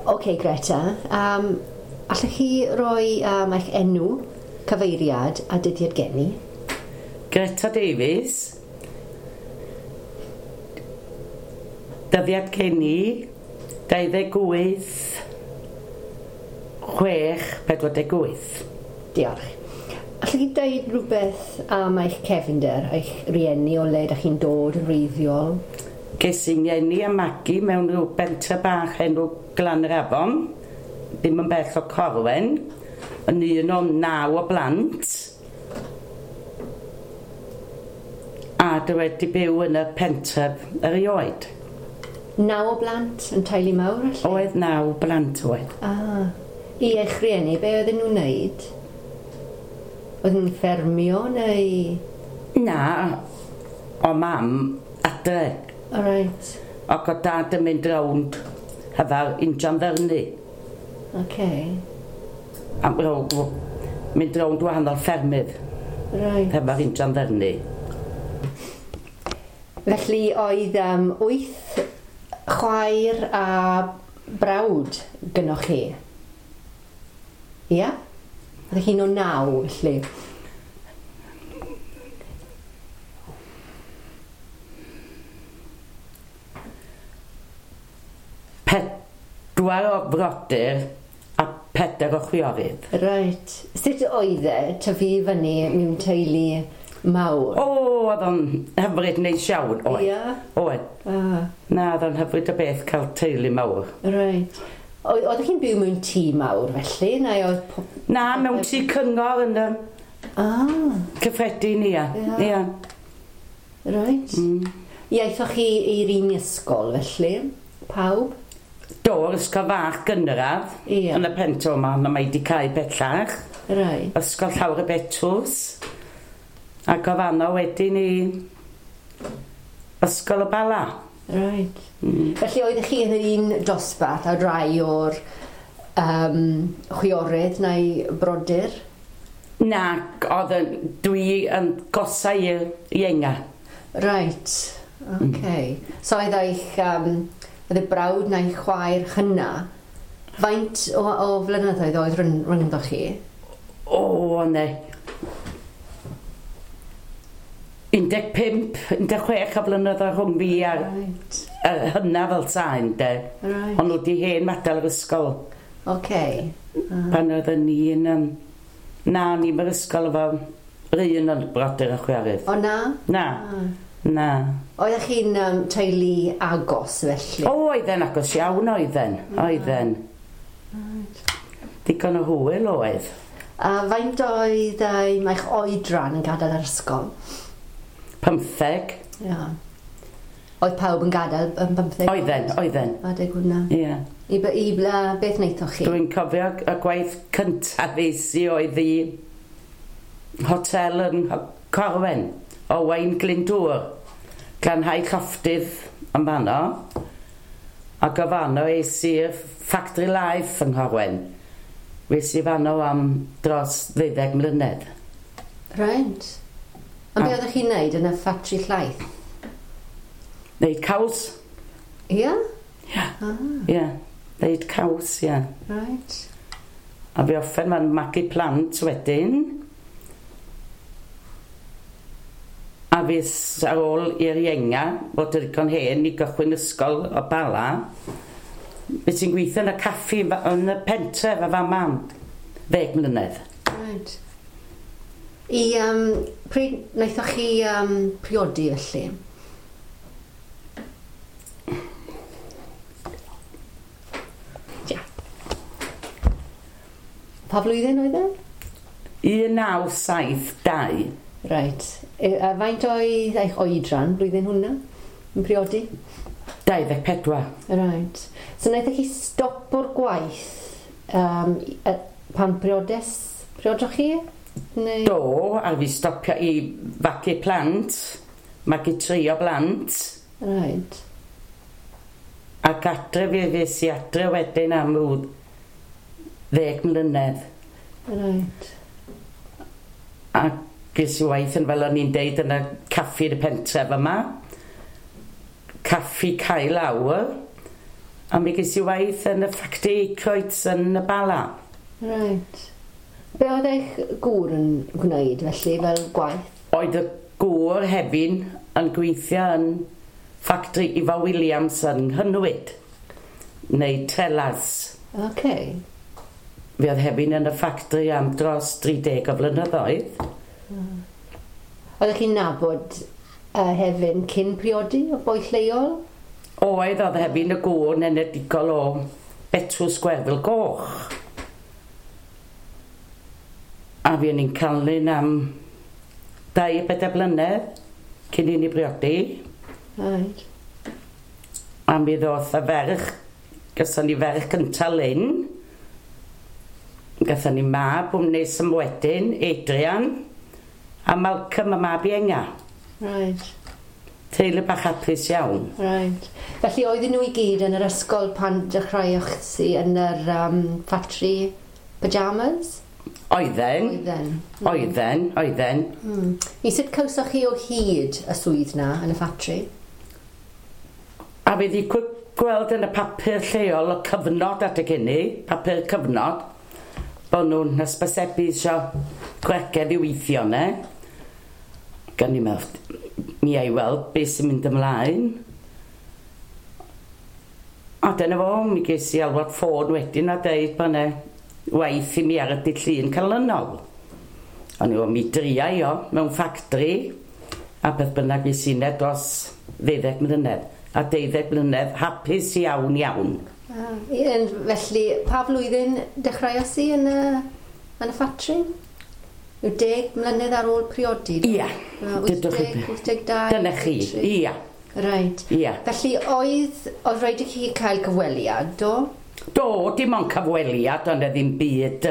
OK, Greta, allwch chi roi eich enw, cyfeiriad a dyddiad geni? Greta Davies. Dyddiad geni 28 6 48. Diolch. Allwch chi dweud rhywbeth am eich cefnder, eich rieni, o le ydych chi'n dod yn wreiddiol? Ges i'n ngeni a magu mewn rhyw bentre bach enw Glan yr Afon, ddim yn bell o Corwen, yn un o 9 o blant. A dwi wedi byw yn y pentref erioed. 9 o blant yn teulu mawr, felly? Oedd 9 blant oedd. Ah, i eich rieni, be oedden nhw'n wneud? Oedden nhw'n ffermio neu...? Na, o mam adre. O reit. Ac o dad yn mynd rownd hefo'r injan ddyrnu. OK. A mynd rownd wahanol ffermydd. Reit. Hefo'r injan ddyrnu. Felly oedd 8 chwaer a brawd gynnoch chi? Ia? Oeddech chi'n o 9, felly? 4 o frodyr a 4 o chwiorydd. Reit. Sut oedd e tyfu fyny mewn teulu mawr? O, oedd o'n hyfryd neis iawn, oedd. Ia? Oedd. Ah. Na, oedd o'n hyfryd o beth cael teulu mawr. Reit. Oeddech chi'n byw mewn tŷ mawr felly? Neu oedd Na, mewn tŷ cyngor yn y cyffredin, ia. Ia. Reit. Iaethoch chi i'r un ysgol felly? Pawb? Do, ysgol fach gynradd. Ia. Yn y pentre yma, ond mae wedi cau bellach. Reit. Ysgol Llawr y Betws. Ac o fanno wedyn i Ysgol y Bala. Reit. Felly oeddech chi yn yr un dosbarth a rai o'r chwiorydd neu brodyr? Na, oedd dwi yn gosa i'r ienga. Reit, OK. So oedd eich oedd y brawd neu chwaer hynna, faint o flynyddoedd oedd rhyngddo chi? O, ne. 15, 16 o flynyddoedd rhwng fi a'r hynna fel sain, de. Right. Ond nhw di hen madael yr ysgol. OK. Pan oedden ni yn... na, o'n i'n yr ysgol efo yr un o'n brodyr a chwiorydd. O na? Na. Na. Oeddech chi'n teulu agos felly? O, oedden agos iawn oedden. Oedden. Right. Digon o hwyl oedd. A faint oedd eich oedran yn gadael yr ysgol? 15. Ia. Oedd pawb yn gadael yn 15? Oedden, oedden. Adeg hwnna. Ie. I beth wnaethoch chi? Dwi'n cofio y gwaith cyntaf es i oedd i hotel yn Corwen, Owain Glyndŵr. Glanhau llofftydd yn fanno. Ac o fanno es i'r Factory Life yng Nghorwen. Fues i fanno am dros 12 mlynedd. Reit. Ond be oeddech chi'n neud yn y ffatri llaeth? Neud caws. Ia? Ia. Ia. Neud caws, ia. Reit. A fi offen ma'n magu plant wedyn. A fi ar ôl i'r ienga, fod yn ddigon hen i gychwyn ysgol o Bala, fe ti'n gweithio yn y caffi yn y pentref efo mam, 10 mlynedd. Reit. I, pryd wnaethoch chi priodi felly? Ia. Pa flwyddyn oedd e? 1972. Reit. A faint oedd eich oedran blwyddyn hwnna yn priodi? 24. Reit. So wnaethoch chi stop o'r gwaith pan priodoch chi? Neu... Do, a fi stopio i fagu plant, magu 3 o blant. Reit. Ac adre fi fues i adre wedyn am ryw 10 mlynedd. Reit. A ges i waith yn fel o'n i'n deud yn y caffi yn y pentref yma. Caffi Cae Lawr. A mi ges i waith yn y ffactri Aykroyds yn y Bala. Right. Be oedd eich gŵr yn gwneud felly fel gwaith? Oedd y gŵr hefyd yn gweithio yn ffactri Ifor Williams yn Nghynwyd, neu Trelas. Okay. Fe oedd hefyd yn y ffactri am dros 30 o flynyddoedd. Oeddech chi'n nabod Hefin cyn priodi o boi lleol? Oedd Hefin y gŵr yn enedigol o Betws Gwerfyl Goch. A fi o'n i'n canlyn am 2-4 blynedd cyn i ni briodi. Right. A mi ddoth y ferch, gyson ni ferch cynta Lynn. Gathon ni mab wnes ym wedyn, Adrian, a Malcolm y mab ienga. Right. Teulu bach hapus iawn. Right. Felly oedden nhw i gyd yn yr ysgol pan dechreuoch chi yn yr ffatri pyjamas? Oedden. Oedden. Oedden, oedden. I sut cawsoch chi o hyd y swydd na yn y ffatri? A fi wedi gweld yn y papur lleol y cyfnod adeg hynny, papur cyfnod, bod nhw'n hysbysebu isio gwregedd i weithio ne. Gan i'n meddwl, mi ai weld beth sy'n mynd ymlaen. A dyna fo, mi ges i alwad ffôn wedyn a deud bod 'na waith i mi ar y dydd Llun canlynol. O'n i, mi dria i o mewn ffactri, a beth bynnag ges i 'na dros 12 mlynedd. A 12 mlynedd hapus iawn iawn. Felly, pa flwyddyn dechreuodd si yn y ffatri? Yw 10 mlynedd ar ôl priodi? Ia. 80, 82? Dyna chi, ia. Right. Ia. Felly, oedd rhaid i chi cael cyfweliad, do? Do, dim ond cyfweliad, ond ddim byd.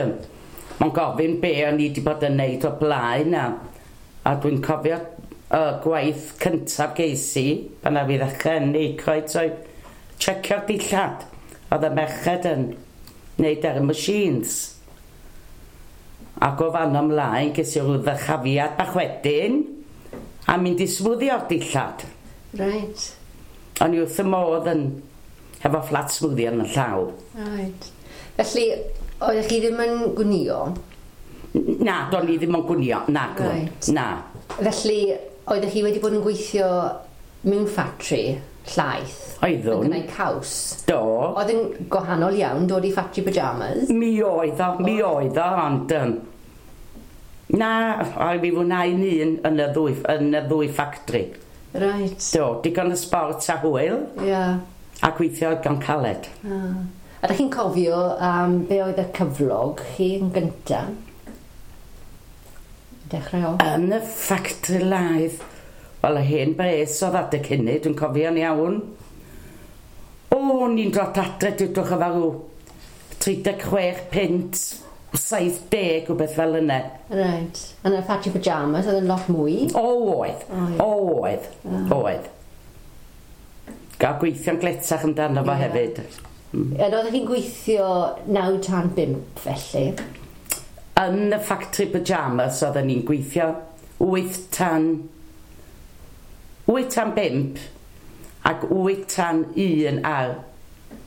Mae'n gofyn be o'n i wedi bod yn neud o blaen. A dwi'n cofio y gwaith cyntaf geis i, pan a fi ddechrau yn Aykroyd, oedd checio'r dillad. Oedd y merched yn neud ar y machines. Ac o fan ymlaen, ges i rhyw ddychafiad bach wedyn, a mynd i smwddio'r dillad. Right. O'n i wrth y modd yn hefo fflat smwddio yn y llaw. Right. Felly, oeddech chi ddim yn gwnïo? Na, do'n i ddim yn gwnïo. Na, right. Na. Felly, oeddech chi wedi bod yn gweithio mewn ffatri llaeth? Oeddwn. Yn gwneud caws? Do. Oedd yn gwahanol iawn dod i ffatri pyjamas? Mi oedd o, ond... Na, oedd fi fwynhau'n un yn y ddwy ffactri. Right. Do, digon y sbort a hwyl. Ia. A gweithio gan caled. A ydych chi'n cofio be oedd y cyflog chi yn gyntaf? Dechrau off. Yn y ffactri laeth. Wel, y hen bres oedd adeg hynny, dwi'n cofio'n iawn. O, ni'n dod adre, dwedwch efo rhyw 36 punt, 70, rhywbeth fel yna. Right. Yn y ffatri pyjamas, oedd yn lot mwy? O, oedd. O, oedd. Oedd. Gael gweithio'n gletach amdano fo hefyd. Oeddech chi'n gweithio 9 tan 5 felly? Yn y ffatri pyjamas oedden ni'n gweithio 8 tan 5 ac 8 tan 1 ar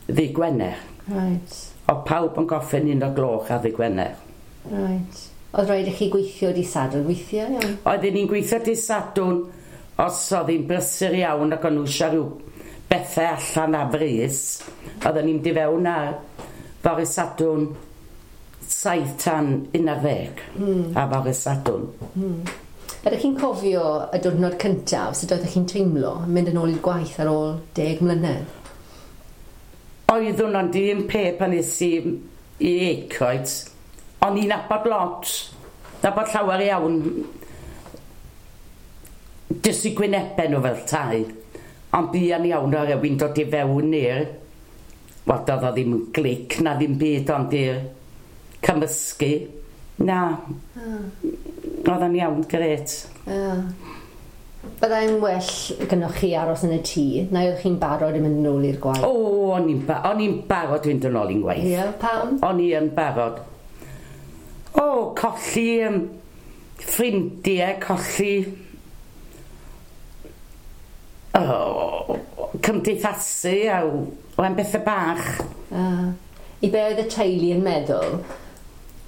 ddydd Gwener. Right. O pawb yn goffin 1 o'r gloch ar ddydd Gwener. Right. Oedd rhaid i chi gweithio dydd Sadwrn weithiau? Iawn? Oedden ni'n gweithio dydd Sadwrn os oedd hi'n brysur iawn ac o'n nhw eisiau rhyw bethau allan ar frys. Oedden ni'n mynd i fewn ar fore Sadwrn 7 tan 11 ar fore Sadwrn. Ydych chi'n cofio y diwrnod cyntaf, sut oeddech chi'n teimlo yn mynd yn ôl i'r gwaith ar ôl 10 mlynedd? Oeddwn ond un peth pan es i i Aykroyd, o'n i'n nabod lot, nabod llawer iawn, jyst i gwynebau nhw fel tai, ond buan iawn o rywun dod i fewn i'r, wel doedd o ddim yn glic na ddim byd ond i'r cymysgu, na. Oedd o'n iawn, grêt. Byddai'n well gynnwch chi aros yn y tŷ, neu oeddech chi'n barod i mynd yn ôl i'r gwaith? O, o'n i'n barod i fynd yn ôl i'n gwaith. Ie, pam? O'n i yn barod. O, colli ffrindiau, colli cymdeithasu a o'n bethau bach. I be oedd y teulu yn meddwl?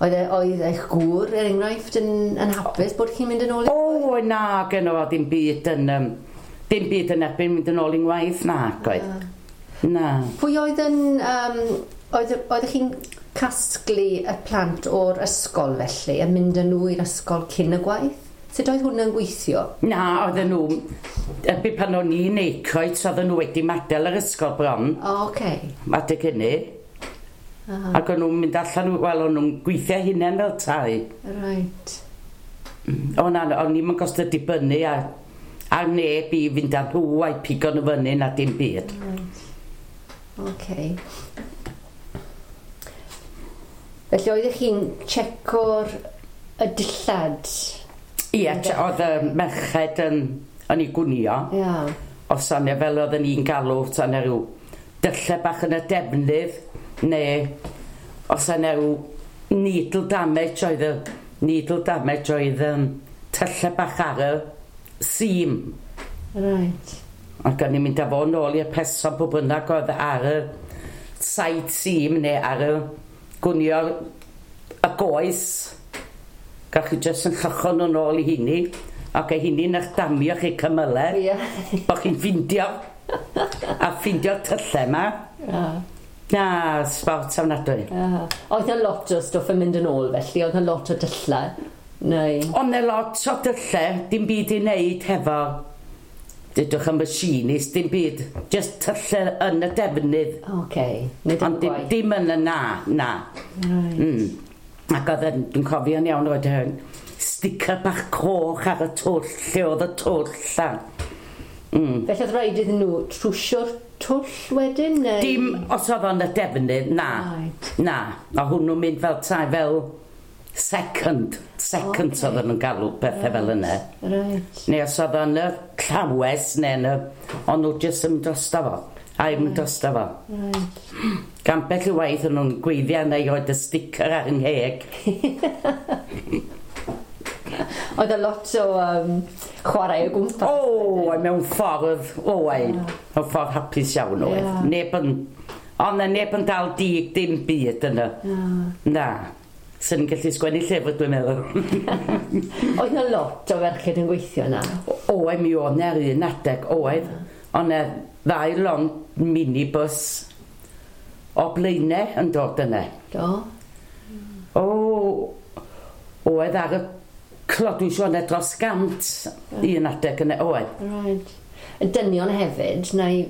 Oedd eich gŵr, er enghraifft, yn hapus bod chi'n mynd yn ôl? O, na, gynno fo ddim byd yn... dim byd yn erbyn mynd yn ôl i'n waith, na, oedd. Na. Pwy oedd yn... Oeddech chi'n casglu y plant o'r ysgol felly, a mynd â nhw i'r ysgol cyn y gwaith? Sut oedd hwnna'n gweithio? Na, oedden nhw... Erbyn pan o'n i'n eicoed, oedden nhw wedi madael yr ysgol bron. O, oce. Adeg hynny. Ac o'n nhw'n mynd allan, wel, o'n nhw'n gweithio hunain fel tai. Right. O na, o'n i'n gostod dibynnu ar neb i fynd â nhw a'i pigo nhw fyny na dim byd. Right. Oce. Felly oeddech chi'n checo'r y dillad? Ie, oedd y merched yn ei gwnio. Ia. Os yna fel oedden ni'n galw, yna rhyw dyllau bach yn y defnydd, neu os yna rhyw needle damage oedd y needle damage oedd tyllau bach ar y seam. Right. Ac o'n i'n mynd â fo nôl i'r person pwy bynnag oedd ar y side seam neu ar y gwnio y goes. Gach chi jyst yn llychon nhw nôl i hynny. Ac e hynny'n eich damio chi cymylau. Ie. Bo chi'n ffindio. A ffindio'r tyllau yma. Na, sbort ofnadwy. Oedd yna lot o stwff yn mynd yn ôl felly, oedd yna lot o dyllau? Neu? Oedd yna lot o dyllau, dim byd i wneud hefo, dydwch y machinist, dim byd, just tyllau yn y defnydd. Oce, nid yn Ond gwaith. dim yn y na. Right. Ac oedd yn, dwi'n cofio'n iawn, roedd yn sticker bach coch ar y twll, lle oedd y twll. Felly oedd rhaid iddyn nhw trwsio'r twll wedyn? Neu? Dim os oedd o'n y defnydd, na. Right. Na, a hwnnw'n mynd fel tai, fel second okay. Oedd nhw'n galw pethau fel yna. Right. Neu os oedd o'n y llawes neu yn y... Ond nhw jyst yn mynd drosto fo. A i'm mynd drosto fo. Right. Gan bell i waith o'n nhw'n gweithio neu roed y sticker ar yng ngheg. Oedd y lot o chwarae o gwmpas. O, mewn ffordd, oedd. Mewn ffordd hapus iawn oedd. Yeah. Neb yn... Ond neb yn dal dig dim byd yna. Na. Sy'n gallu sgwennu llyfr, dwi'n meddwl. Oedd yna lot o ferched yn gweithio yna? Oedd, mi oedd na'r un adeg, oedd. Oedd yna ddau lond minibus o Blaenau yn dod yna. Do? O, oedd ar y clod, dwi'n siŵr, dros 100 un adeg yna, oedd. Right. Y dynion hefyd, neu...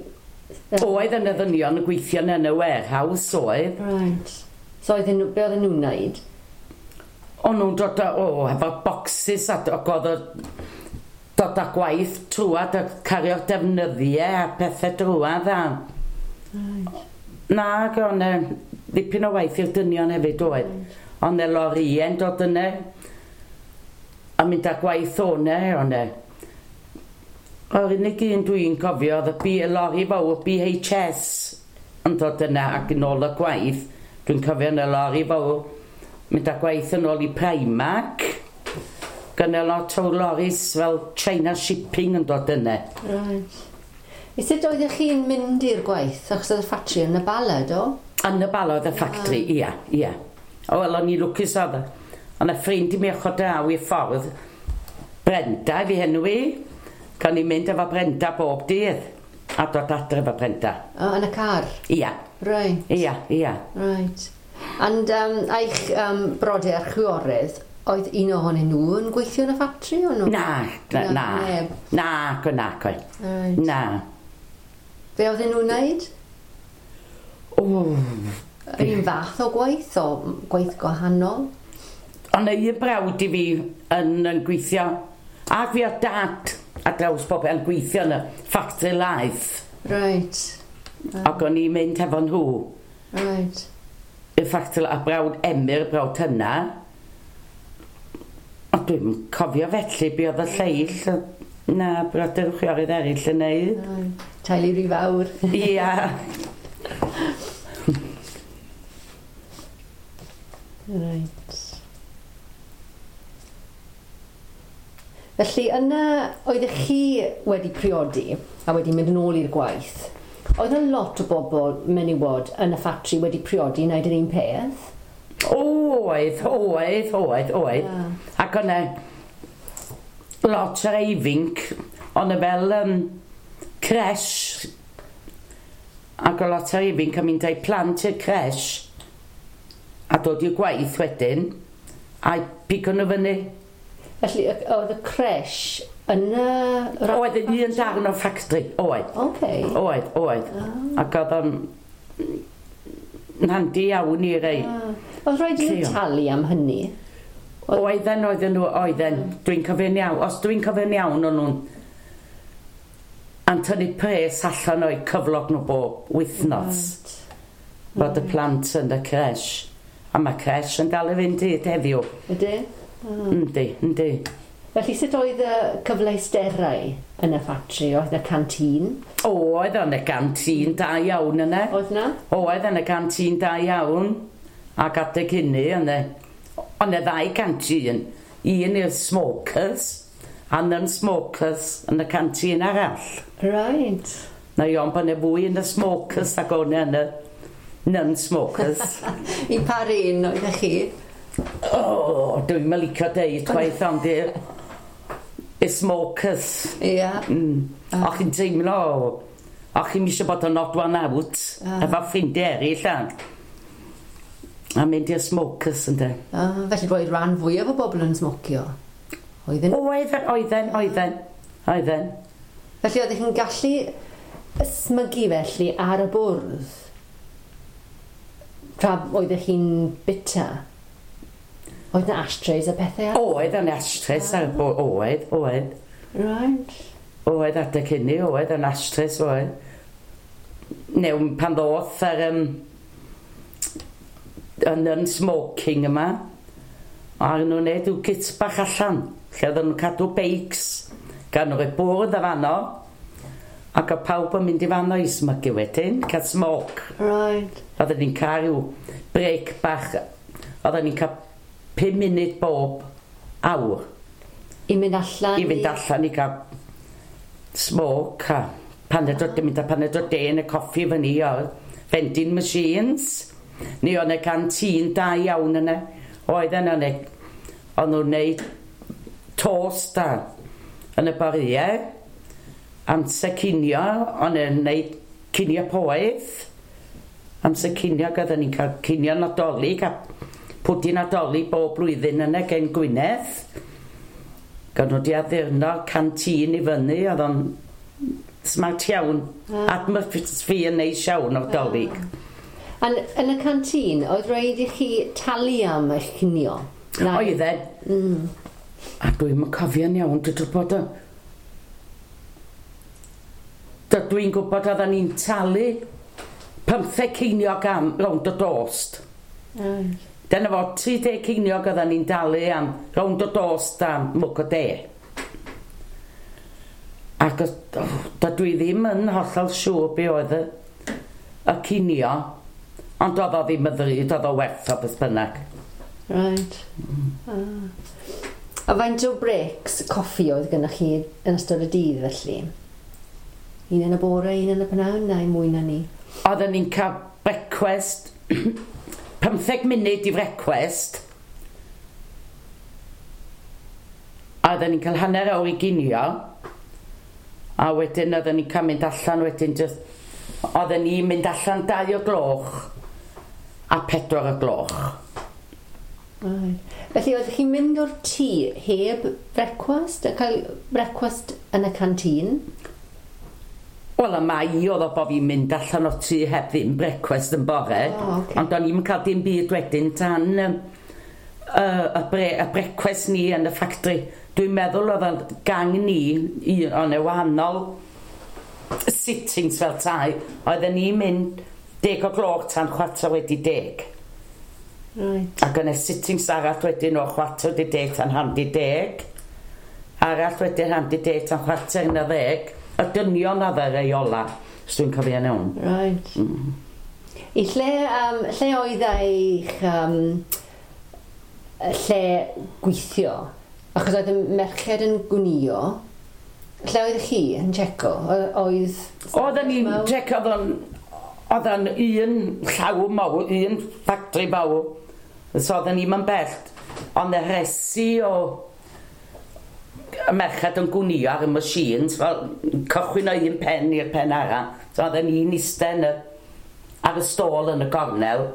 Oedd yna ddynion yn gweithio yn y warehouse, oedd. Right. So oedden nhw, be oedden nhw'n wneud? O'n nhw'n dod o, efo boxes a oedd dod â gwaith trwad a cario'r defnyddiau a pethau drwad a... Right. Na, o'n ddipyn o waith i'r dynion hefyd oedd. O'n e lorïau'n dod yna a mynd â gwaith o'na, o'n e. O'r unig un dwi'n cofio oedd y lori fawr BHS yn dod yna ac yn ôl y gwaith. Dwi'n cofio yn y lori fawr mynd â gwaith yn ôl i Primark. Gynna lot o loris fel China Shipping yn dod yna. Right. I sut oeddech chi'n mynd i'r gwaith? Achos oedd y ffatri yn y Bala, do? Yn y Bala oedd y ffatri, ia, ia. O, wel, o'n i lwcus oedd. O'n y ffrind i mi ochr draw i'r ffordd. Brenda, fi henw i. Gan i mynd efo Brenda bob dydd. A dod adre efo Brenda. O, yn y car? Ia. Right. Ia, ia. Right. And eich brodyr a'r chwiorydd, oedd un ohonyn nhw yn gweithio yn y ffatri o nhw? Na, na, na. Na, na, na. Right. Na. Be oedden nhw'n wneud? O. Yr un fath o gwaith o gwaith gwahanol? Ond un brawd i fi yn gweithio, ac fi o dad a draws bob yn gweithio yn y ffatri laeth. Right. Ac o'n i'n mynd efo nhw. Right. Y ffatri a brawd Emyr, brawd hynna. A dwi'n cofio felly be oedd y lleill. Na, brodyr chwiorydd eraill yn neud. Right. Teulu rhy fawr. Ia. Right. Felly yna, oeddech chi wedi priodi a wedi mynd yn ôl i'r gwaith? Oedd yna lot o bobl menywod yn y ffatri wedi priodi wneud yr un peth? Oedd, oedd, oedd, oedd. Ac o'na lot o'r ifanc, o'na fel creche, ac o lot o'r ifanc yn mynd â'u plant i'r creche, a dod i'w gwaith wedyn, a pigo nhw fyny. Felly, oedd y creche yn y... Oedd yn un darn o'r ffactri, oedd. Oedd, oedd. Ac oedd o'n handi iawn i rei. Oedd rhaid i nhw Lleol. talu am hynny? Oedden, oedden nhw, oedden. Dwi'n cofio'n iawn. Os dwi'n cofio'n iawn, o'n nhw'n tynnu pres allan o'u cyflog nhw bob wythnos. Bod y plant yn y creche. A mae creche yn dal i fynd hyd heddiw. Ydy? Yndi, yndi. Felly, sut oedd y cyfleusterau yn y ffatri? Oedd y canteen? Oedd o'n y gantîn da iawn yna. Oedd na? Oedd yn y gantîn da iawn. Ac adeg hynny, o'n y ddau gantîn. Un i'r smokers a non-smokers yn y cantîn arall. Na i ond bod yna fwy yn y smokers ac o'n yn y non-smokers. I par un oeddech chi? O, oh, dwi'n mynd licio deud chwaith ond i'r y smokers. Och chi'n teimlo, och chi'n eisiau bod yn odd one out, efo ffrindiau eraill a. A mynd i'r smokers ynddo. Ah, felly roedd rhan fwyaf o bobl yn smocio? Oedden? Oedden, oedden, oedden, oedden. Felly oeddech chi'n gallu ysmygu felly ar y bwrdd? Tra oeddech chi'n bita? Oedd na ashtrays a pethau ar? Oedd yn ashtrays ar y bwrdd, oedd, oedd. Oedd adeg hynny, oedd yn ashtrays, oedd. New, pan ddoth ar y non-smoking yma, a nhw'n neud rhyw git bach allan, lle oedden nhw'n cadw beics, gan nhw rhoi bwrdd a fanno, ac oedd pawb yn mynd i fanno i smygu wedyn, cael smoke. Oedden ni'n cael rhyw break bach, oedden ni'n cael 5 munud bob awr I mynd allan? I fynd allan i gael smoke a paned o, mynd â paned o de yn y coffi fyny o'r vending machines. Ni o'n y canteen da iawn yna. Oedden o'n o'n nhw'n neud toast a yn y boriau. Amser cinio, o'n nhw'n neud cinio poeth. Amser cinio, oedden ni'n cael cinio Nadolig a pwdin Nadolig bob blwyddyn yna gen Gwynedd. Gan nhw di addurno canteen i fyny, oedd o'n smart iawn. Atmosphere neis iawn o'r Dolig. Yn, yn y canteen, oedd rhaid i chi talu am eich cinio? Oedden. A dwi'n cofio'n iawn, dwi'n gwybod o. Dwi'n gwybod oedden ni'n talu 15 ceiniog am rownd o dost. Dyna fo, 30 ceiniog oedden ni'n dalu am rownd o dost a mwg o de. Ac oh, dydw i ddim yn hollol siŵr be oedd y cinio, ond oedd o ddim yn ddrud, oedd o werth o beth bynnag. Ah. A faint o breaks coffi oedd gennych chi yn ystod y dydd felly? Un yn y bore, un yn y pnawn, neu mwy na ni? Oedden ni'n cael brecwast, 15 munud i frecwast. A oedden ni'n cael hanner awr i ginio. A wedyn oedden ni'n cael mynd allan wedyn just... Oedden ni'n mynd allan 2 o gloch a 4 o gloch. Right. Felly oeddech chi'n mynd o'r tŷ heb brecwast, a cael brecwast yn y canteen? Wel, y mai oedd o bod fi'n mynd allan o'r tŷ heb ddim brecwast yn bore. O, ocê. Ond o'n i'n cael dim byd wedyn tan y brecwast ni yn y ffactri. Dwi'n meddwl oedd y gang ni, o'n e wahanol sittings fel tai, oedden ni'n mynd 10 o gloch tan 10:15. Ac yna sittings arall wedyn o 10:15 tan 9:30. Arall wedyn 9:30 tan 10:15. Y dynion oedd y rei ola, os dwi'n cofio'n iawn. Right. I lle, lle oedd eich lle gweithio? Achos oedd y merched yn gwnio, Lle oedd chi yn checo? Oedd... Oedden ni'n checo, oedd o'n un llaw mawr, un ffactri mawr. So oedden ni'n mynd bell. Ond y resi o y merched yn gwnio ar y machines, fel cychwyn o un pen i'r pen arall. So oedden ni'n eistedd ar y stôl yn y gornel.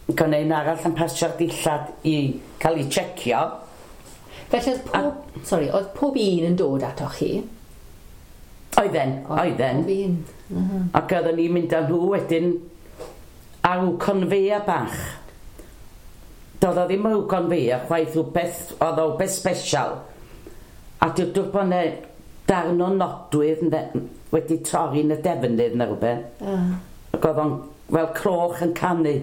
Gwneud un arall yn pasio'r dillad i cael ei checio. Felly oedd pob, oedd pob un yn dod atoch chi? Oedden. Pob un. Ac oedden ni'n mynd â nhw wedyn ar rhyw conveyor bach. Doedd o ddim rhyw conveyor, chwaith rhywbeth, oedd o rhywbeth special. A dywedwch bod yna darn o nodwydd wedi torri yn y defnydd neu rhywbeth. Ac oedd o'n fel cloch yn canu.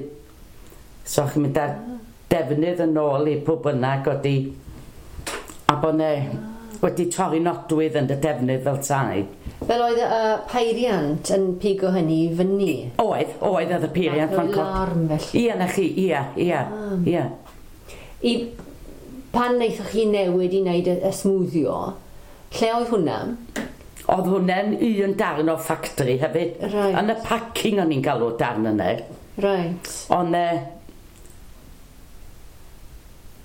So chi'n mynd â'r defnydd yn ôl i pwy bynnag wedi... A bod ne wedi torri nodwydd yn y defnydd fel tai. Fel oedd y peiriant yn pigo hynny i fyny? Oedd y peiriant. Fath o alarm felly? Ie, na chi, ie. I, pan wnaethoch chi newid i wneud y smwddio, lle oedd hwnna? Oedd hwnna'n un darn o ffactri hefyd. Right. Yn y packing o'n i'n galw darn yna. Right. Ond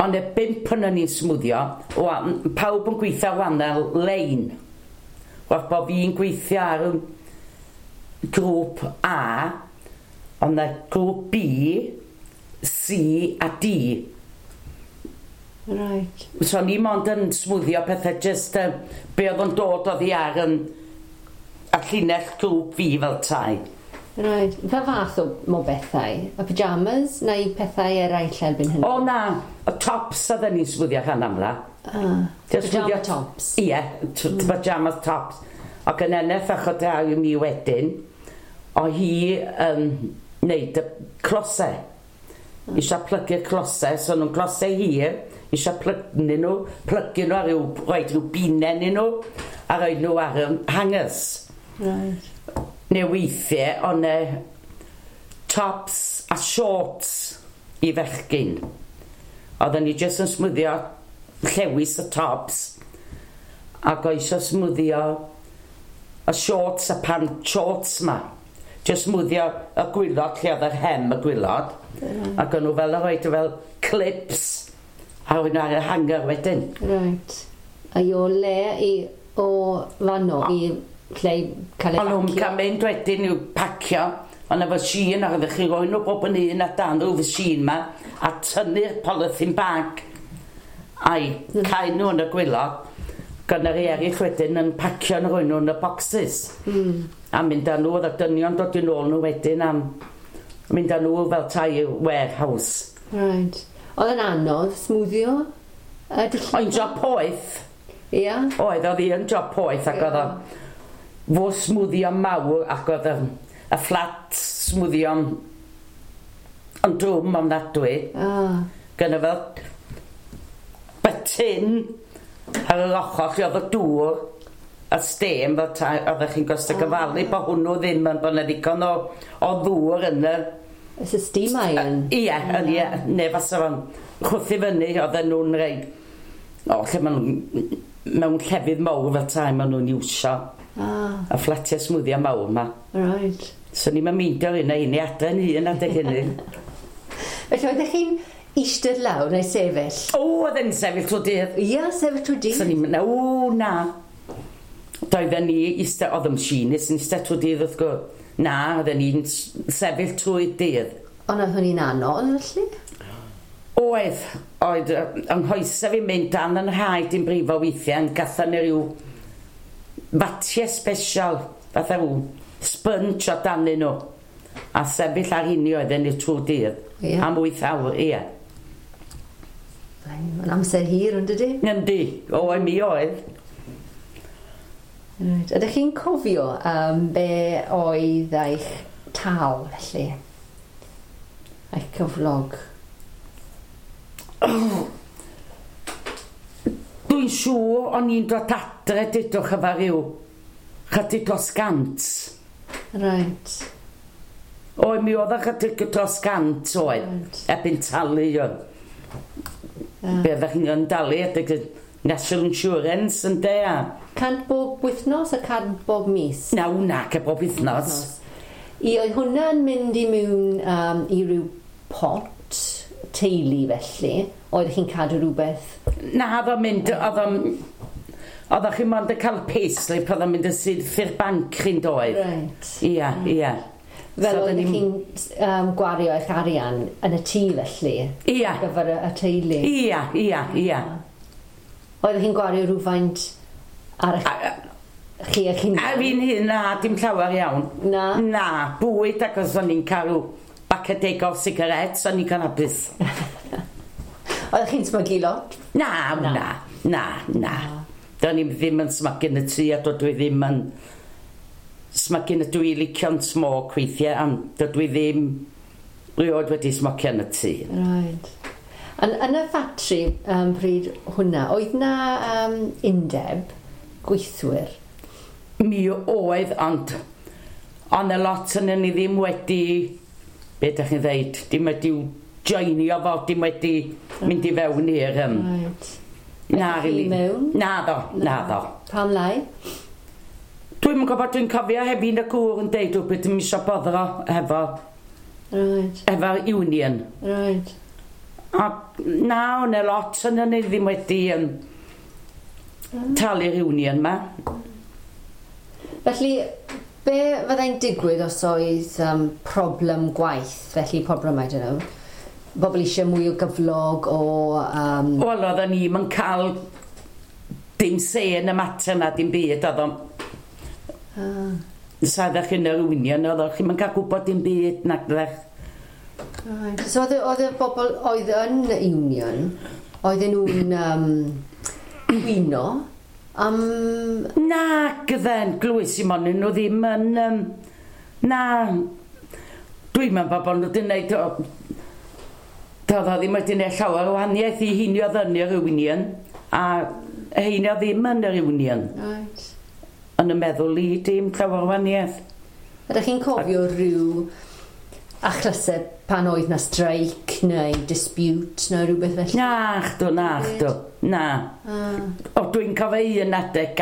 Ond y 5 yn ni'n smwddio, pawb yn gweithio wahanol lein. Wrth bod fi'n gweithio ar grŵp A, ond y grŵp B, C a D. Right. So ni mond yn smwddio pethau just be oedd yn dod oddi ar y llinell grŵp fi fel tai. Right. Pa fath o bethau? Y pyjamas neu pethau eraill erbyn hynny? O na, y tops oedden ni'n smwddio rhan amla. Pyjama tops? Ie, pyjama tops. Ac yn eneth achod ar mi wedyn, o hi wneud y closau. Eisiau plygu'r closau, so nhw'n closau hir, eisiau plygu nhw ar ryw, roed rhyw binen i nhw, a roed nhw ar hangers. Right. Neu weithiau, ond tops a shorts i fechgyn. Oedden ni jyst yn smwddio llewis y tops ac o eisiau smwddio y shorts a pant shorts ma. Jyst smwddio y gwylod lle oedd yr hem y gwylod. Ac o'n nhw fel yn rhoid fel clips a roed nhw ar y hanger wedyn. Right. A i o le i o fanno i lle i cael ei O'n nhw'n pacio? cael mynd wedyn i'w pacio. Ond efo machine, ac oeddech chi roi nhw bob yn un a dan rhyw machine ma, a tynnu'r polythene bag a'i cael nhw yn y gwylod. Gynna rei eraill wedyn yn pacio nhw roi nhw yn y boxes. A mynd â nhw, oedd y dynion dod yn ôl nhw wedyn am mynd â nhw fel tai warehouse. Right. Oedd yn anodd smwddio? Oedd job poeth. Ia? Oedd hi yn job poeth ac oedd o fo smwddio mawr ac oedd y fflat smwddio yn drwm ofnadwy. Gynna fel button ar yr ochr lle oedd y dŵr a steam fel tai, oeddech chi'n gosod gyfalu bod hwnnw ddim yn bod 'na ddigon o ddŵr yn y... It's a steam iron. Ie, ie, neu fasa fo'n chwythu fyny, oedden nhw'n rei... O, lle maen nhw'n... Mewn llefydd mawr fel tai maen nhw'n iwsio. Y fflatiau smwddio mawr ma. Right. So ni'n meindio un a un i adre'n hun adeg hynny. Felly oeddech chi'n eistedd lawr neu sefyll? O, oedden ni'n sefyll trwy dydd. Ia, sefyll trwy dydd. So ni'n mynd, o, na. Doedden ni eistedd, oedd y machinist yn eistedd trwy dydd wrth gwrs. Na, oedden ni'n sefyll trwy dydd. Ond oedd hwnni'n anodd, felly? Oedd, yng nghoesau fi'n mynd dan yn rhaid i'n brifo weithiau, yn gatho ni rhyw fatiau special, fatha rhyw sponge o danyn nhw. A sefyll ar hynny oedden ni trwy dydd. Yeah. Am 8 awr, ie. Mae'n amser hir, ond ydy? Yndi, o, mi oedd. Right. Ydych chi'n cofio be oedd eich tal, felly? Eich cyflog? Oh. Dwi'n siŵr o'n i'n dod adre dudwch efo rhyw chydig dros 100. Right. O, mi oedd chydig dros 100 oedd. Right. Erbyn talu oedd. Be oeddech chi'n dalu adeg National Insurance yn de a... 100 bob wythnos a 100 bob mis? Na, wna, ce bob wythnos. I oedd hwnna'n mynd i mewn i ryw pot teulu felly? Oeddech chi'n cadw rhywbeth? Na, oedd o'n mynd, oedd o'n... Oeddech chi'n mond yn cael payslip, oedd o'n mynd yn syth i'r banc chi'n doedd. Right. Ia, ia. Fel oeddech chi'n gwario eich arian yn y tŷ felly? Ia. Ar gyfer y teulu? Ia, ia, ia. Oeddech chi'n gwario rhywfaint ar eich chi eich hunan? A fi'n hun, na, dim llawer iawn. Na? Na, bwyd ac os o'n i'n cael bacadeg o sigaret, o'n i'n cael hapus. Oeddech chi'n smygu lot? Na, na, na, na. Do'n i ddim yn smygu yn y tŷ a dydw i ddim yn smygu yn y dwi licio'n smoke weithiau, ond dydw i ddim rioed wedi smocio yn y tŷ. Right. Yn y ffatri pryd hwnna, oedd na undeb gweithwyr? Mi oedd, ond y lot yn ni ddim wedi, be ydych chi'n dweud, dim wedi joinio fo, dim wedi mynd i fewn i'r... Right. Na, really. Mewn? Na ddo, na ddo. Pam lai? Dwi'm yn gwybod, dwi'n cofio heb un y gŵr yn deud rhywbeth ddim eisiau boddro efo... Right. Efo'r union. Right. A na, o'n e lot yn ni ddim wedi talu'r union ma. Felly, be fyddai'n digwydd os oedd problem gwaith, felly problem, I don't know, bobl eisiau mwy o gyflog o... Wel, oedden ni'm yn cael dim se yn y mater na, dim byd, oedd o'n... Sa ddech chi'n yr union, oedd chi'n cael gwybod dim byd, nag ddech. Right. So oedd y bobl oedd yn y union, oedden nhw'n gwyno am... Na, gydden, glwys i mon, nhw ddim yn... Na, dwi'n meddwl bod nhw wedi gwneud... Doedd o ddim wedi gwneud llawer o wahaniaeth i heini oedd yn yr union, a heini oedd ddim yn yr union. Right. Yn y meddwl i, dim llawer o wahaniaeth. Ydych chi'n cofio rhyw achlysau pan oedd na streic neu dispute neu rhywbeth felly? Na, chdw, na, chdw, na. O, dwi'n cofio un adeg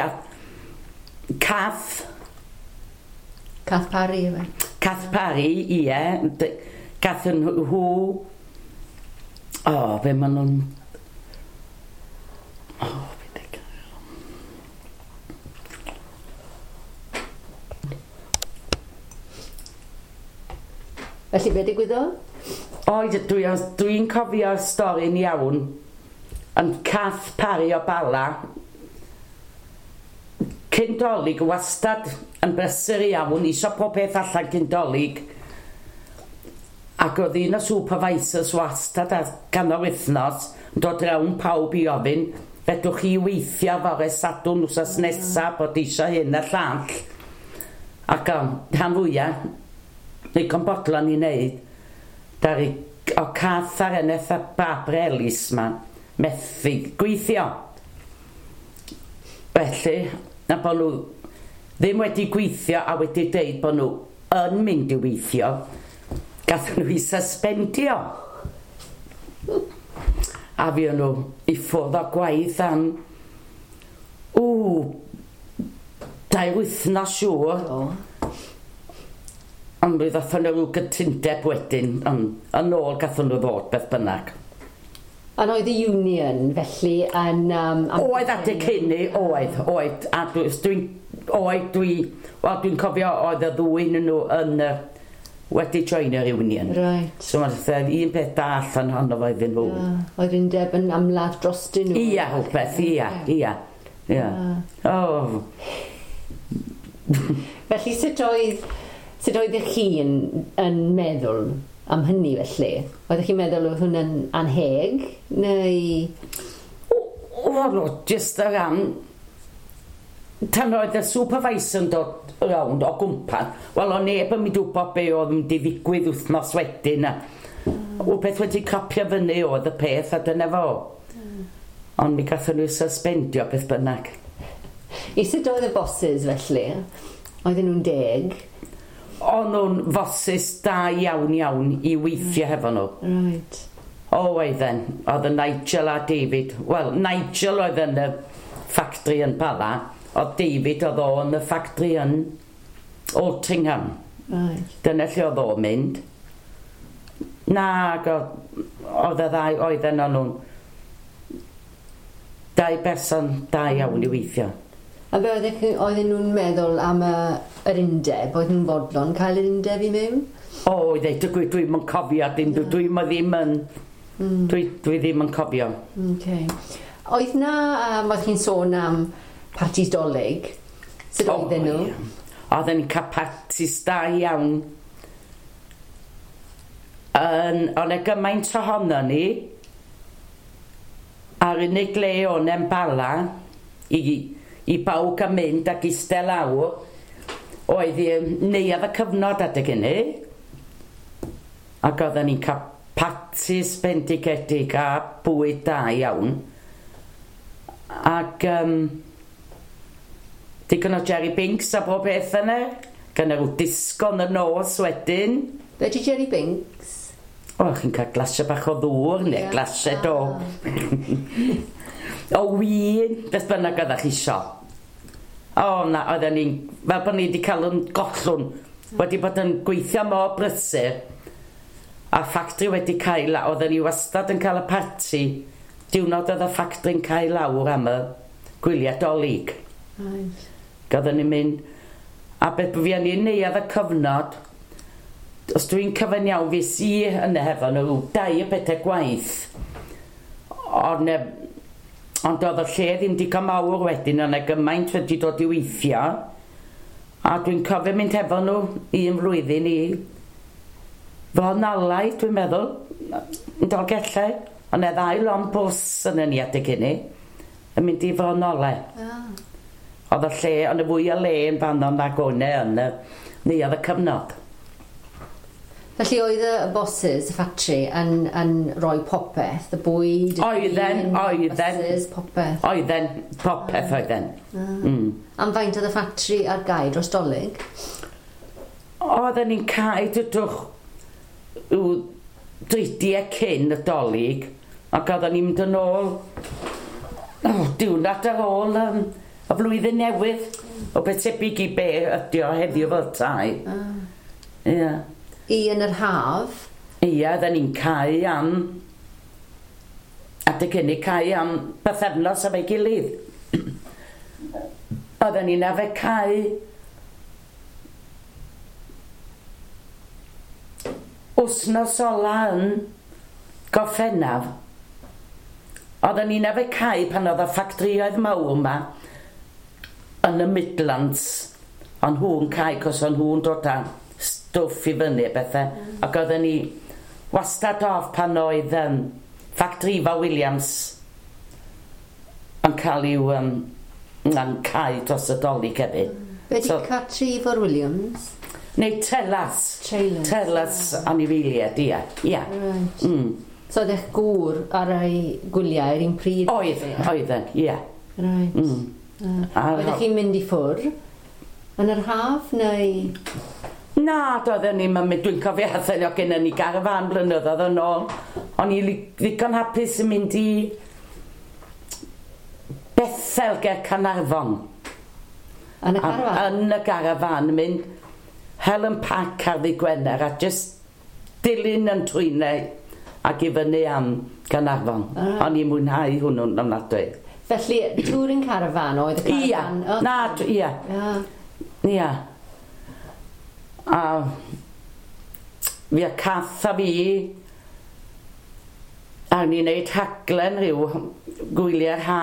Cath. Cath Parry, efe? Cath Parry, ie. Gath yn nhw... O, be maen nhw'n... O, be di... Felly, be digwyddodd? Oed, dwi'n cofio'r stori'n iawn. Ond Cath Parry o Bala, cyn Dolig, wastad yn brysur iawn, isio pob peth allan cyn Dolig. Ac oedd un o supervisors wastad ar ganol wythnos yn dod rawn pawb i ofyn, fedrwch chi weithio fore Sadwrn wsos nesa bod eisiau hyn a llall. Ac rhan fwyaf, ddigon bodlon i wneud, dari o Cath ar eneth a Barbara Ellis ma, methu gweithio. Felly, na bod nhw ddim wedi gweithio a wedi deud bod nhw yn mynd i weithio, gath nhw i suspendio. A fi nhw i ffwrdd o gwaith am 2 wythnos siŵr. Ond mi ddathon nhw rhyw gytundeb wedyn, ond yn ôl gathon nhw ddod beth bynnag. Ond oedd y union felly yn... Oedd adeg hynny, oedd. A dwi'n cofio oedd y ddwy nhw yn wedi join yr union. Right. So mae'n un peth da allan ohono fo iddyn nhw. Oedd undeb yn ymladd drostyn nhw. Ia, rhywbeth, ia, ia. Ia. Oh. Felly sut oeddech chi yn meddwl am hynny felly? Oeddech chi'n meddwl oedd hwnna'n anheg, neu... O, jyst o ran... Tan oedd y supervisor yn dod rownd o gwmpas, wel, o neb yn mynd wybod be oedd yn mynd i ddigwydd wythnos wedyn. O beth wedi cropio fyny oedd y peth, a dyna fo. Ond mi gathon nhw suspendio beth bynnag. I sut oedd y bosses felly? Oedden nhw'n deg? O'n nhw'n fosys da iawn iawn i weithio hefo nhw. Right. O, oedden. Oedd y Nigel a David. Wel, Nigel oedd yn y ffactri yn Bala. Oedd David oedd o yn y ffactri yn Altrincham. Right. Dyna lle oedd o'n mynd. Na, oedd y ddau oedden nhw'n dau berson da iawn i weithio. A be oedden nhw'n meddwl am yr undeb? Oedden nhw'n fodlon cael yr undeb i mewn? O, i ddeud y gwir, dwi'm yn cofio, dim, dwi'm ddim yn... Dwi ddim yn cofio. Okay. Oedd na, oedd chi'n sôn am partis Dolig? Sut oedden nhw? Ie. Oedden ni'n cael partis da iawn. O'n e gymaint ohono ni, a'r unig le o'n e'n Bala, i bawb gael mynd ac eistedd lawr, oedd i neuadd y cyfnod adeg hynny. Ac oedden ni'n cael partis bendigedig a bwyd da iawn. Ac digon o Jerry Binks a bob beth yna. Gan rhyw disgo yn y nos wedyn. Be di Jerry Binks? O, chi'n cael glasiau bach o ddŵr neu glasiau o... o win, beth bynnag oeddech chi isio. O, na, oedden ni'n... Fel bod ni wedi cael yn gollwng. Wedi bod yn gweithio mor brysur. A ffactri wedi cael... Oedden ni wastad yn cael y parti. Diwrnod oedd y ffactri'n cael lawr am y gwyliau Dolig. Right. Oedden ni'n mynd... A beth fi yn neuadd y cyfnod... Os dwi'n cyfan iawn, fes i yna hefo nhw 2 o bethau gwaith. Ond oedd y lle ddim digon mawr wedyn, ond gymaint wedi dod i weithio. A dwi'n cofio mynd hefo nhw un flwyddyn i Fronalau, dwi'n meddwl, yn Dolgellau. Ond e ddau lond bws yn y adeg hynny, yn mynd i Fronalau. Oedd y lle, ond y fwy o le yn fanno nag o'n e yn y neuadd y cyfnod. Felly oedd y bosses, y ffatri, yn rhoi popeth, y bwyd, y Oedden, oedden. Bosses, popeth. Oedden, popeth oedden. Am faint oedd y ffatri ar gau dros Dolig? Oedden ni'n cau, dydwch, rhyw dridiau cyn y Dolig, ac oedden ni'n mynd yn ôl, diwrnod ar ôl y flwyddyn newydd, o beth tebyg i be ydi o heddiw fel tai. Ie. I yn yr haf? Ie, oedden ni'n cau am... Adeg hynny cau am bythefnos efo'i gilydd. Oedden ni'n arfer cau... Wsnos ola yn Gorffennaf. Oedden ni'n arfer cau pan oedd y ffactrioedd mawr yma yn y Midlands. O'n nhw'n cau, cos o'n nhw'n dod â stwff i fyny a bethau. Ac oedden ni wastad off pan oedd Factory Ifor Williams yn cael i'w yn cau dros y Dolig hefyd. Be di Factory Ifor Williams? Neu Telas. Trailers. Telas anifeiliaid, ie. Ie. Right. So oedd eich gŵr ar ei gwyliau yr un pryd? Oedd, oedden, ie. Right. Oeddech chi'n mynd i ffwrdd yn yr haf neu...? Na, doedden ni'm yn mynd, dwi'n cofio athyn o gennym ni garafán blynyddoedd yn ôl. O'n i ddigon hapus yn mynd i Bethel ger Caernarfon. Yn y garafán? Yn y garafán, mynd hel yn pac ar ddydd Gwener a just dilyn yn trwynau ac i fyny am Caernarfon. O'n i'n mwynhau hwnnw'n ofnadwy. Felly, touring caravan oedd y caravan? Ia, na, ia. Ia. A fi a Cath a fi, a ni'n neud rhaglen rhyw gwyliau'r ha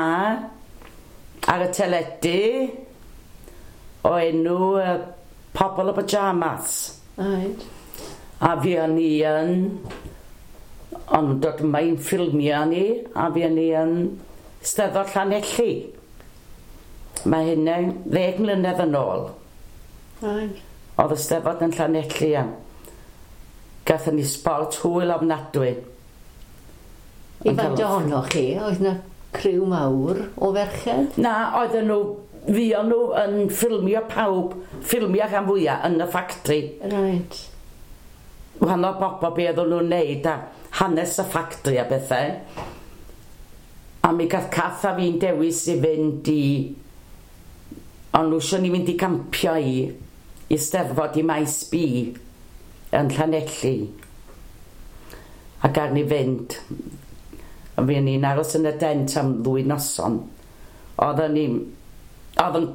ar y teledu o enw Pobol y Pyjamas. Right. A fi o'n i yn, ond dod yma i'n ffilmio ni, a fi o'n i yn Steddfod Llanelli. Mae hynna 10 mlynedd yn ôl. Right. Oedd y Steddfod yn Llanelli a gathon ni sbort hwyl ofnadwy. I faint ohonoch chi, oedd yna criw mawr o ferched? Na, oedden nhw, fuon nhw yn ffilmio pawb, ffilmio rhan fwyaf yn y ffactri. Right. Wahanol bobl be oedden nhw'n neud a hanes y ffactri a bethau. A mi gath Cath a fi'n dewis i fynd i... Ond nhw eisiau ni fynd i gampio i Steddfod i Maes B yn Llanelli. Ac ar ni fynd. A fi ni'n aros yn y dent am 2 noson. Oedden ni... Oedd yn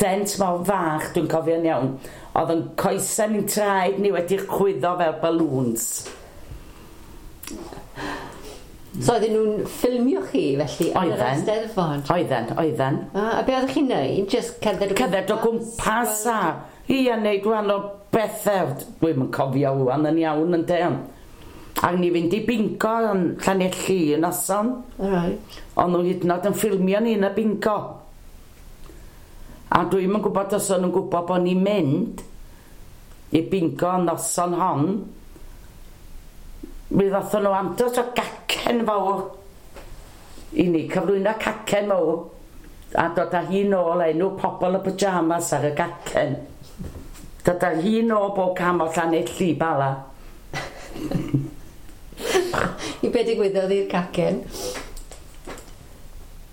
dent mor fach, dwi'n cofio'n iawn. Oedd yn coesau ni'n traed ni wedi chwyddo fel balloons. So oedden nhw'n ffilmio chi felly yn yr Eisteddfod? Oedden. A be oeddech chi'n neud? Just cerdded o gwmpas? Cerdded o gwmpas a... Ia, neud gwahanol bethau. Dwi'm yn cofio ŵan yn iawn yn de. A ni fynd i bingo yn Llanelli y noson. Right. Ond nhw hyd yn oed yn ffilmio ni yn y bingo. A dwi'm yn gwybod os o'n nhw'n gwybod bod ni'n mynd i bingo y noson hon. Mi ddothon nhw andros o gacen fawr i ni, cyflwyno cacen fawr a dod â hi nôl enw Pobol y Pyjamas ar y gacen. Dod â hi nôl bob cam o Llanelli, Bala. I be digwyddodd i'r cacen?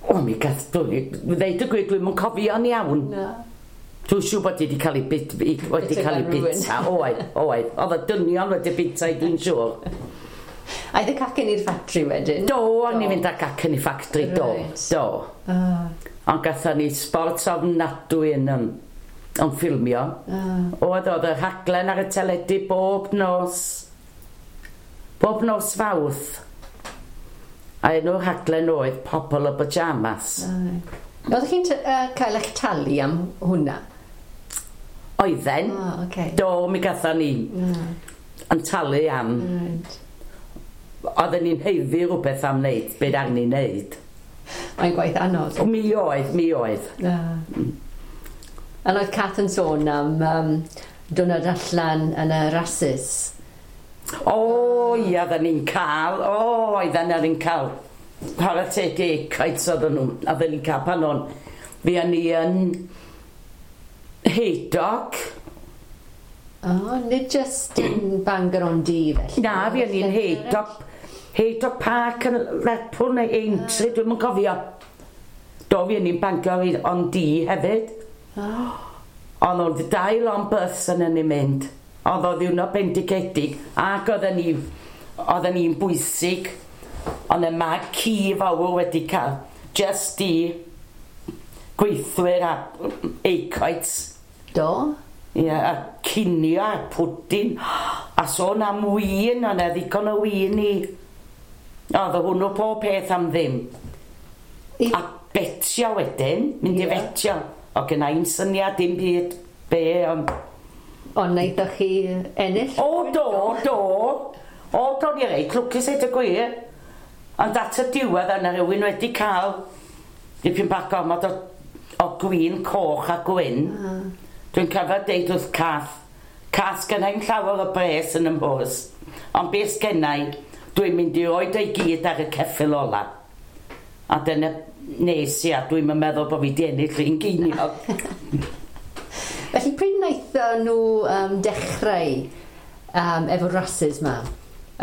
O, mi gath, dwi, ddeud y gwir, dwi'm yn cofio'n iawn. Na. Dwi'n siŵr bod hi wedi cael ei bit, wedi cael ei bita. Oedd. Oedd y dynion wedi bita i, dwi'n siŵr. Aeth y cacen i'r ffatri wedyn? Do, o'n i'n mynd â cacen i ffatri, do. Do. Ond gathon ni sport ofnadwy yn ffilmio. Oedd y rhaglen ar y teledu bob nos. Bob nos Fawrth. A enw'r rhaglen oedd Pobol y Pyjamas. Oeddech chi'n cael eich talu am hwnna? Oedden. Okay. Do, mi gathon ni yn talu am. Right. Oedden ni'n haeddu rhywbeth am wneud, beth arni ni'n wneud. Mae'n gwaith anodd. O, mi oedd. A oedd Cath yn sôn am dwrnod allan yn y rasys. O, ia, oedden ni'n cael. O, oedden ni'n cael. Chwarae teg i Acoeds oedden nhw. Oedden ni'n cael pan o'n. Fuon ni yn Haydock. O, nid just yn Bangor on Dee felly. Na, fuon ni'n Haydock. Haydock Park yn Lerpwl neu Aintree, dwi'm yn cofio. Do, fuon ni'n Bangor on Dee hefyd. Ond oedd 2 lon bus yn ni'n mynd. Oedd o ddiwrnod bendigedig ac oedden ni'n bwysig. Ond y mag ci fawr wedi cael just i gweithwyr a Acoeds. Do? Ie, a cinio a pwdin. A sôn am win, ond e ddigon o win i. Oedd hwnnw pob peth am ddim. A betio wedyn, mynd i fetio. O gynna i'm syniad dim byd be, ond... Ond wnaethoch chi ennill? O, do. O, do, ni reit lwcus eid y gwir. Ond at y diwedd yna rhywun wedi cael dipyn bach gormod o gwin coch a gwyn. Dwi'n cofio deud wrth Cath, Cath, gynna i'm llawer o bres yn y mhwrs, ond beth gynna i, dwi'n mynd i roid o'i gyd ar y ceffyl ola. A dyna nes i, a dwi'n meddwl bod fi di ennill un geiniog. Felly pryd wnaethon nhw dechrau efo rasys ma,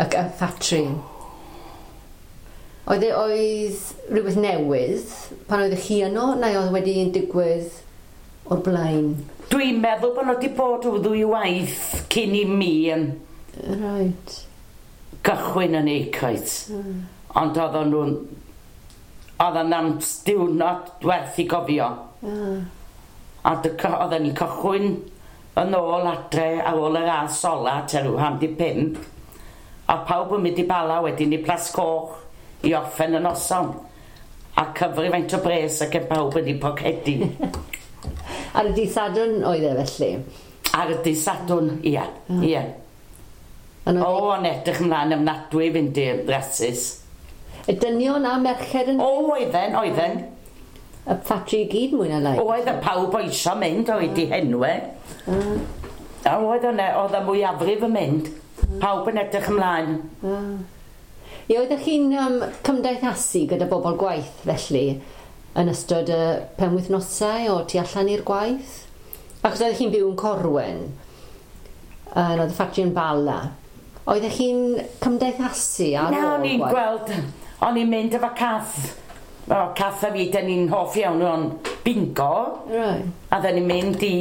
y ffatri? Oedd rhywbeth newydd pan oeddech chi yno, neu oedd wedi digwydd o'r blaen? Dwi'n meddwl bod nhw wedi bod o 2 waith cyn i mi yn right. gychwyn yn Acoeds. Ond oedden nhw'n... Oedden am diwrnod werth i gofio. A oedden ni'n cychwyn yn ôl adre ar ôl y ras ola tua rhyw 4:50. A pawb yn mynd i Bala wedyn i Plas Coch i orffen y noson. A cyfri faint o bres ac yn pawb yn ei pocedi. Ar y dydd Sadwrn oedd e felly? Ar y dydd Sadwrn, ia. Ia. O, o'n edrych ymlaen ofnadwy i fynd i'r rasys. Y dynion a merched yn... O, oedden. Y ffatri i gyd mwy na lai? Oedd y pawb o isio mynd, oedd i henwe. A oedd oedd y mwyafrif yn mynd. Pawb yn edrych ymlaen. Ie, oeddech chi'n cymdeithasu gyda bobl gwaith felly yn ystod y penwythnosau o tu allan i'r gwaith? Achos oeddech chi'n byw yn Corwen, oedd y ffatri yn Bala. Oeddech chi'n cymdeithasu ar Na, ôl o'n i'n gwaith? gweld, o'n i'n mynd efo Cath. O, Cath a fi, dyn ni'n hoff iawn o'n bingo. Right. A dyn ni'n mynd i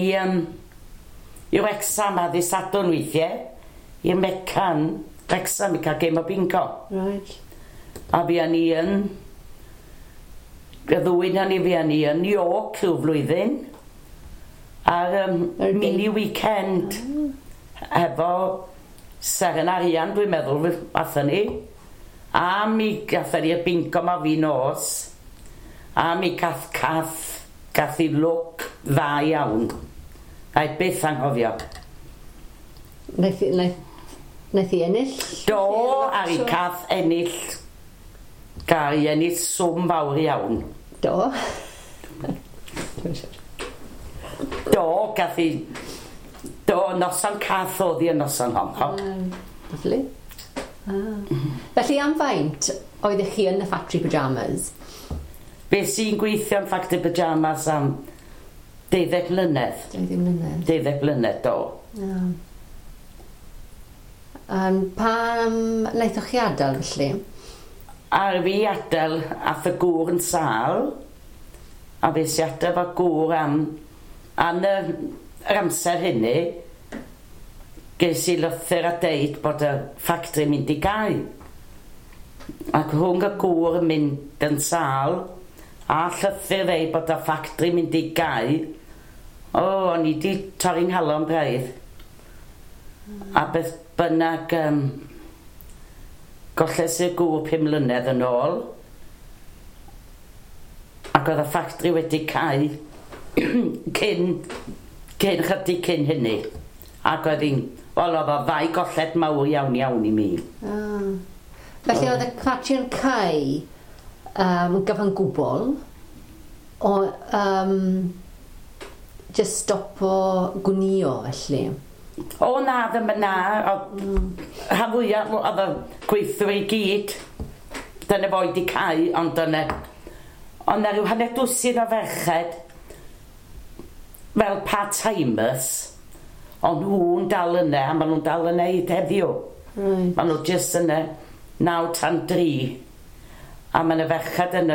Wrexham a ddydd Sadwrn weithiau, i'r Mecan, Wrexham i cael gêm o bingo. Right. A fi ni yn, y ddwy na ni fi ni yn York rhyw flwyddyn, ar Yr mini weekend, efo Seren Arian, dwi'n meddwl, athon ni. A mi gathon ni y bingo ma fi nos. A mi gath i lwc dda iawn. Na i byth anghofio. Naeth i ennill? Do, ar i Cath ennill, gael i ennill swm fawr iawn. Do. Do, gath i, do, noson Cath oedd hi y noson honno. Lovely. Ah. Felly am faint oeddech chi yn y factory pyjamas? Be sy'n gweithio yn Factory Pyjamas am 12 mlynedd. 20 mlynedd. 12 mlynedd, do. Yeah. Pam wnaethoch chi adael felly? Ar fi adael, ath y gŵr yn sâl, a fe si adael fo gŵr am yr amser hynny, ges i lythyr a deud bod y ffactri mynd i gau. Ac rhwng y gŵr yn mynd yn sâl, a llythyr ddeud bod y ffactri mynd i gau, o, o'n i di torri'n nghalon braidd. A beth bynnag, golles i'r gŵr 5 mlynedd yn ôl, ac oedd y ffactri wedi cau cyn chydig cyn hynny. Ac oedd hi'n, wel, oedd o ddau golled mawr iawn iawn i mi. Ah. Felly oedd y factory yn cau yn gyfan gwbl, o just stopo gwnio felly. O na, ddim yn na, rhan fwyaf oedd y gweithwyr i gyd, dyna fo wedi cau, ond dyna, ond na rhyw hanner dwsin o ferched, fel part-timers, ond nhw'n dal yna, a maen nhw'n dal yna hyd heddiw. Right. Maen nhw jyst yna 9 tan 3. A mae yna ferched yn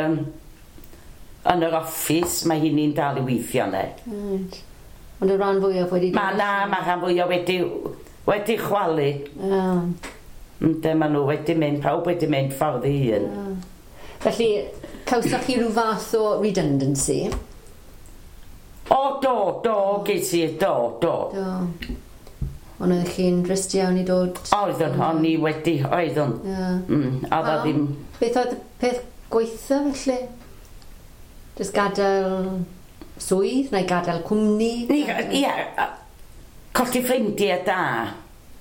yr office, mae hi'n dal i weithio yna. Right. Ond y rhan fwyaf wedi... Mae na, mae rhan fwyaf wedi chwalu. Ah. Ynde, maen nhw wedi mynd, pawb wedi mynd ffordd i hun. Ah. Felly, cawsoch chi rhyw fath o redundancy? O, do, do, ges i, do, do. Do. Ond oeddech chi'n drist iawn i dod... Oeddwn, o'n i wedi, oeddwn. Yeah. Oedd o ddim... Beth oedd y peth gweitha felly? Just gadael swydd neu gadael cwmni? Ie, colli ffrindiau da.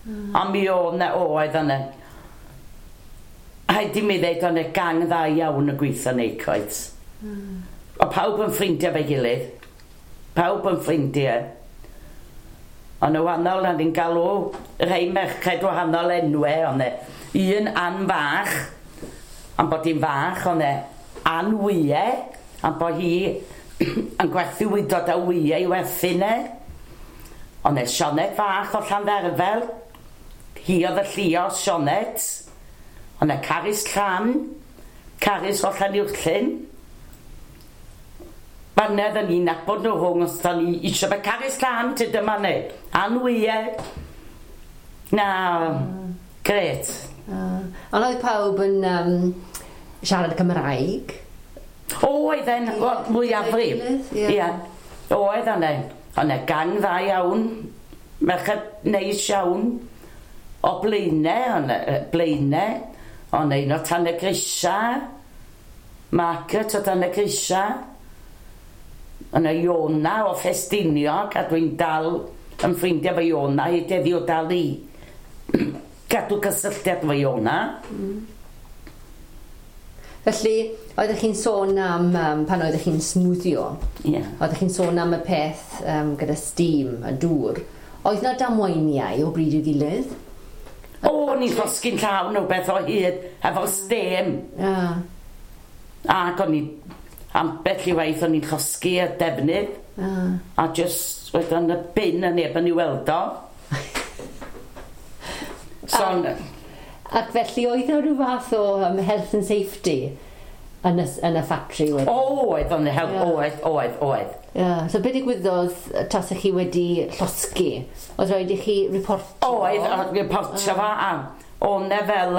Ond mi oedd na, oedd yna. Rhaid i mi ddeud, oedd yna gang dda iawn y gweithio yn Akeroyd. O pawb yn ffrindiau fe'i gilydd. Pawb yn ffrindiau. Ond y wahanol, na ni'n galw rhai merched wahanol enwau, ond un An fach, am bod hi'n fach, ond An Wyau, am bod hi yn gwerthu wydod a wyau i werthu ne. Ond e Sioned fach o Llandderfel, hi oedd y llio Sioned. Ond e Caris Llan, Caris o Llanuwchllyn. Fanedd yn ni'n nabod nhw rhwng os da ni eisiau fe Caris Llan, ty dyma ni. An wyau. Na, gret. Ond oedd pawb yn siarad Cymraeg? Oedd e'n, wel, mwyafrif. Ie. Ie. Oedd yna. O'na gang dda iawn. Merched neis iawn. O Blaenau, o'na Blaenau. O'na un o Tanygrisia. Margaret o Tanygrisia. O'na Iona o Ffestiniog, a dwi'n dal yn ffrindiau fo Iona, hyd heddiw dal i gadw cysylltiad fo Iona. Felly, oeddech chi'n sôn am pan oeddech chi'n smwddio, Ie. oeddech chi'n sôn am y peth gyda steam, y dŵr. Oedd na damweiniau o bryd i'w gilydd? O, ni'n llosgi'n llawn o beth o hyd, efo steam. Ah, Ac o'n i, ambell i waith o'n i'n llosgi y defnydd, a just wedyn y bin yn neb yn ei weld o. So, ac felly oedd yna rhyw fath o health and safety yn y ffatri wedyn? O, oedd o'n help, yeah. Oedd. Yeah. So beth digwyddodd tasach chi wedi llosgi? Oedd rhaid i chi reportio? Oedd, reportio fo, a o'n e fel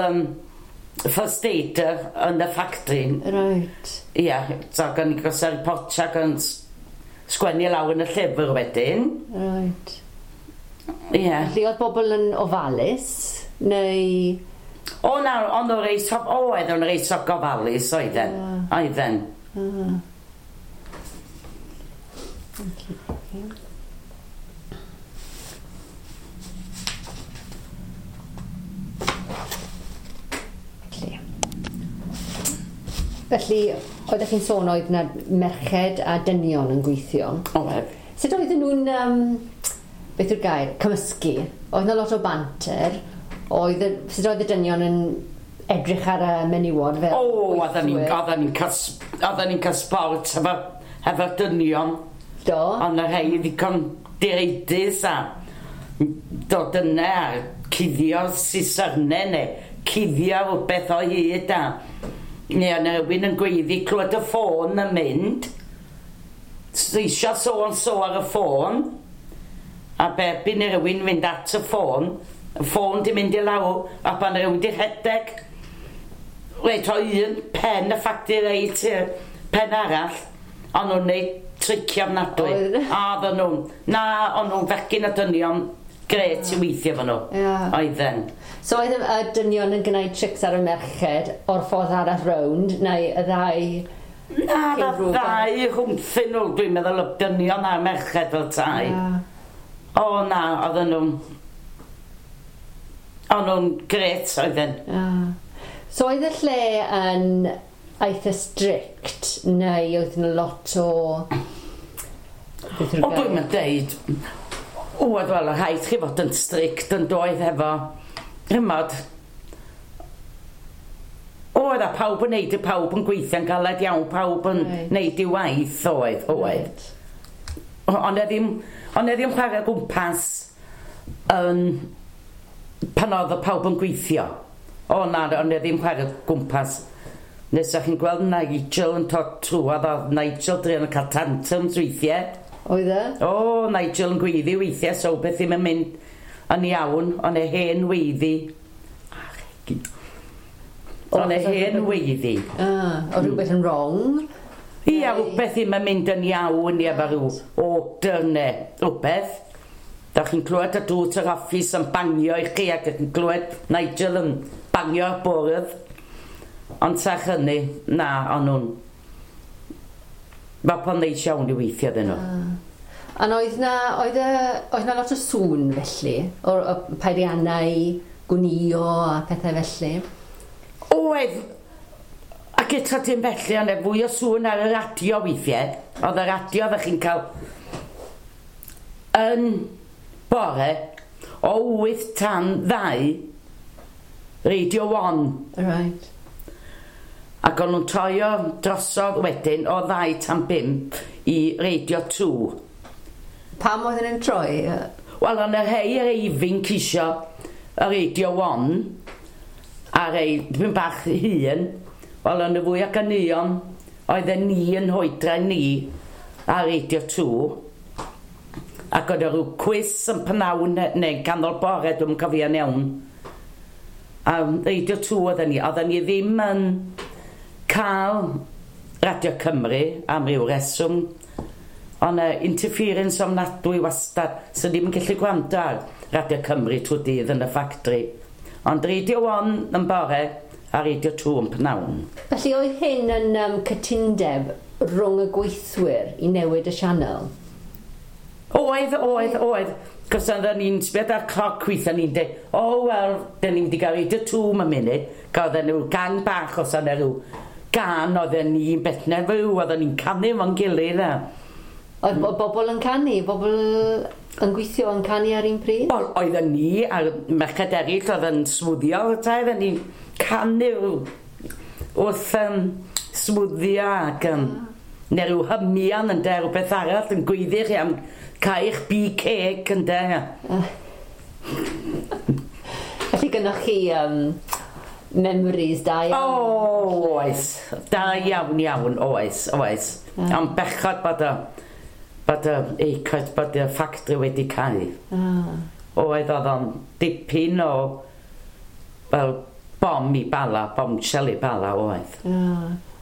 first aider yn y factory. Right. Ie, yeah, so gan i gosod reportio ac yn sgwennu lawr yn y llyfr wedyn. Right. Ie. Yeah. Felly oedd bobl yn ofalus, neu... O na, ond o'n reit oedd o'n reit o gofalus oedden. Yeah. Oedden. Okay. Felly, oeddech chi'n sôn oedd yna merched a dynion yn gweithio. Oedd. Sut oedden nhw'n, beth yw'r gair, cymysgu? Oedd yna lot o banter. Sut oedd y dynion yn edrych ar y menywod fel O, oedden ni'n cael sport efo dynion. Do. Ond y rhai ddigon direidus a dod yna a cuddio sisyrnau neu cuddio rhywbeth o hyd a neu yna rhywun yn gweiddi clywed y ffôn yn mynd. Eisiau so and so ar y ffôn. A bebyn i rhywun fynd at y ffôn di mynd i lawr a pan rhywun di rhedeg. Reit o un pen y ffacti reit i'r pen arall, ond nhw'n neud tricio ofnadwy. A oedden nhw'n, na, o'n nhw'n fechgyn a dynion gret i weithio efo nhw. Yeah. Oedden. So oedd y dynion yn gwneud trics ar y merched o'r ffordd arall rownd, neu y ddau... Na, y ddau rhwngthyn nhw, dwi'n meddwl y dynion a'r merched fel tai. Yeah. O na, oedden nhw'n... O'n nhw'n gret oedden. Yeah. So oedd y lle yn eitha strict, neu oedd yna lot o... O, dwi'n mynd deud, oedd wel, rhaid chi fod yn strict yn doedd efo, chymod, oedd a pawb yn neud, pawb yn gweithio'n galed iawn, pawb yn neud i waith, oedd. Right. Ond e ddim chwarae gwmpas pan oedd y pawb yn gweithio. O na, ond e ddim chwarae gwmpas. Nes o'ch chi'n gweld Nigel yn dod trwodd, oedd Nigel druan yn cael tantrums weithiau. Oedd e? O, Nigel yn gweiddi weithiau, so beth ddim yn mynd yn iawn, ond e hen weiddi. Ond e hen weiddi. O rhywbeth yn wrong? Ia, rhywbeth ddim yn mynd yn iawn, ia, efo rhyw order neu rhywbeth. Da chi'n clywed y drws yr office yn bangio i chi ac yn clywed Nigel yn bangio'r bwrdd. Ond serch hynny, na, o'n nhw'n... Mae po'n neis iawn i weithio ddyn nhw. Ond oedd na lot o sŵn felly, o'r peiriannau, gwnïo a pethau felly? Oedd, ac eto dim felly, ond fwy o sŵn ar y radio weithiau. Oedd y radio oeddech chi'n cael yn bore o 8 tan 2, Radio 1. Right. Ac o'n nhw'n toio drosodd wedyn o 2 tan 5 i Radio 2. Pam oedden nhw'n troi? Wel, o'n y rhai yr eifinc isio y Radio 1 a rhai dipyn bach hŷn. Wel, o'n y fwy o ganeuon oedden ni yn hoedra ni ar Radio 2. Ac oedd rhyw cwis yn pnawn neu canol bore, dwi'n cofio'n iawn. A Radio 2 oedden ni. Oedden ni ddim yn cael Radio Cymru am ryw reswm. Ond interference ofnadwy wastad, so ddim yn gallu gwrando ar Radio Cymru trwy dydd yn y ffactri. Ond Radio 1 yn bore a Radio 2 yn pnawn. Felly oedd hyn yn cytundeb rhwng y gweithwyr i newid y sianel? Oedd. Cos oedden ni'n sbio ar cloc weithio ni'n dweud, o wel, dyn ni'n wedi cael Radio 2 am munud. Gael nhw gang bach os yna rhyw gan oedden ni'n beth neu fyw, oedden ni'n canu efo'n gilydd. Oedd bobl yn canu, bobl yn gweithio yn canu ar un pryd? Wel, oedden ni a'r merched eraill oedd yn smwddio, oedden ni'n canu wrth smwddio ac neu rhyw hymian yn de, rhywbeth arall yn gweiddi chi am cael eich BK yn de. Felly gynnwch chi memories da iawn. O, oes. Da iawn, iawn, oes, oes. Ond bechod bod y Akeroyd, bod y ffactri wedi cau. Oedd o'n dipyn o fel bom i Bala, bombshell i Bala oedd.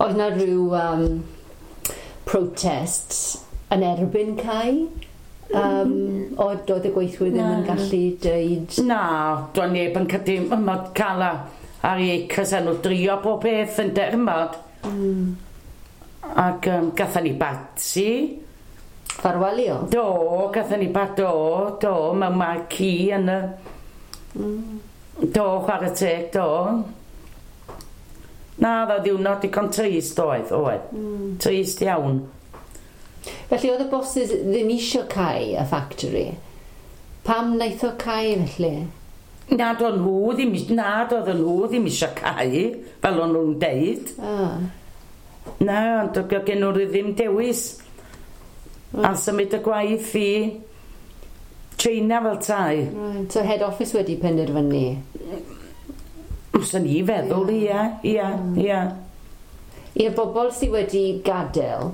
Oedd na rhyw protests yn erbyn cau? Oedd y gweithwyr ddim yn gallu dweud? Na, doedd neb yn cydu, ymod cael ar ei acres enw drio bob peth yn dermod. Ac gatha ni bati. Ffarwelio? Do, gatha ni bat, do, do, mewn marquee yn y. Do, chwarae teg, do. Na, dda ddiwrnod digon trist oedd, oedd. Trist iawn. Felly oedd y bosses ddim eisiau cau y factory. Pam wnaeth o cau felly? Na, doedd nhw ddim, na, doedd nhw ddim eisiau cau, fel o'n nhw'n deud. Na, ond oedd gen nhw ddim dewis. A symud y gwaith i China fel tai. Right. So head office wedi penderfynu? Swn i feddwl, ia. I'r bobl sydd wedi gadael,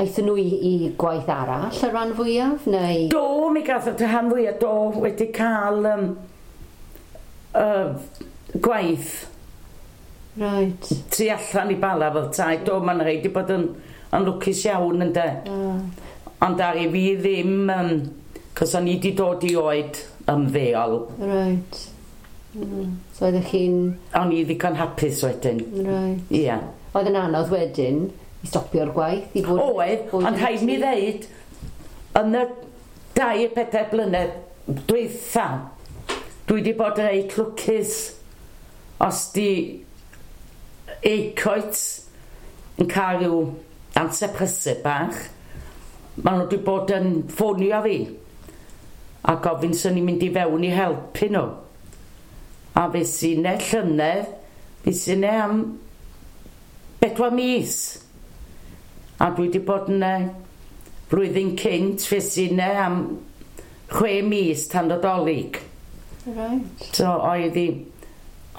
aethon nhw i gwaith arall y rhan fwyaf, neu? Do, mi gath y rhan fwyaf, do, wedi cael gwaith tu allan i Bala fel tai. Do, mae'n rhaid i bod yn lwcus iawn, ynde. Ond ar i fi ddim, cos o'n i wedi dod i oed ymddeol. Right. So oeddech chi'n? O'n i ddigon hapus wedyn. Ia. Oedd yn anodd wedyn i stopio'r gwaith? I fod, Oedd, fod ond yn rhaid mi tŷ? ddeud, yn y 2-4 blynedd dwytha, dwi wedi bod reit lwcus os di Akeroyd yn cael rhyw amser prysur bach, maen nhw wedi bod yn ffonio fi a gofyn swn i'n mynd i fewn i helpu nhw. A fe sy'n ne llynedd, fe sy'n ne am 4 mis. A dwi wedi bod yna flwyddyn cynt, fe sy'n ne am 6 mis tan Nadolig. So oedd hi.